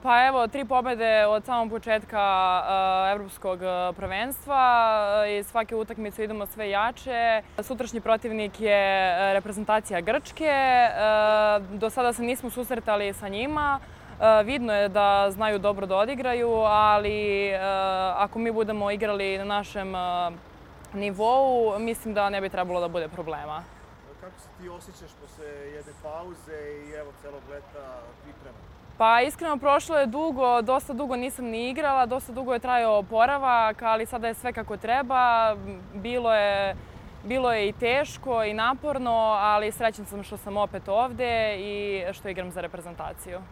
Pa evo, 3 pobede od samog početka evropskog prvenstva i svake utakmice idemo sve jače. Sutrašnji protivnik je reprezentacija Grčke. Do sada se nismo susretali sa njima. Vidno je da znaju dobro da odigraju, ali ako mi budemo igrali na našem nivou, mislim da ne bi trebalo da bude problema. Kako se ti osjećaš posle jedne pauze i evo celog leta priprema? Pa iskreno, prošlo je dugo, dosta dugo nisam ni igrala, dosta dugo je trajao oporavak, ali sada je sve kako treba. Bilo je i teško i naporno, ali srećan sam što sam opet ovde i što igram za reprezentaciju.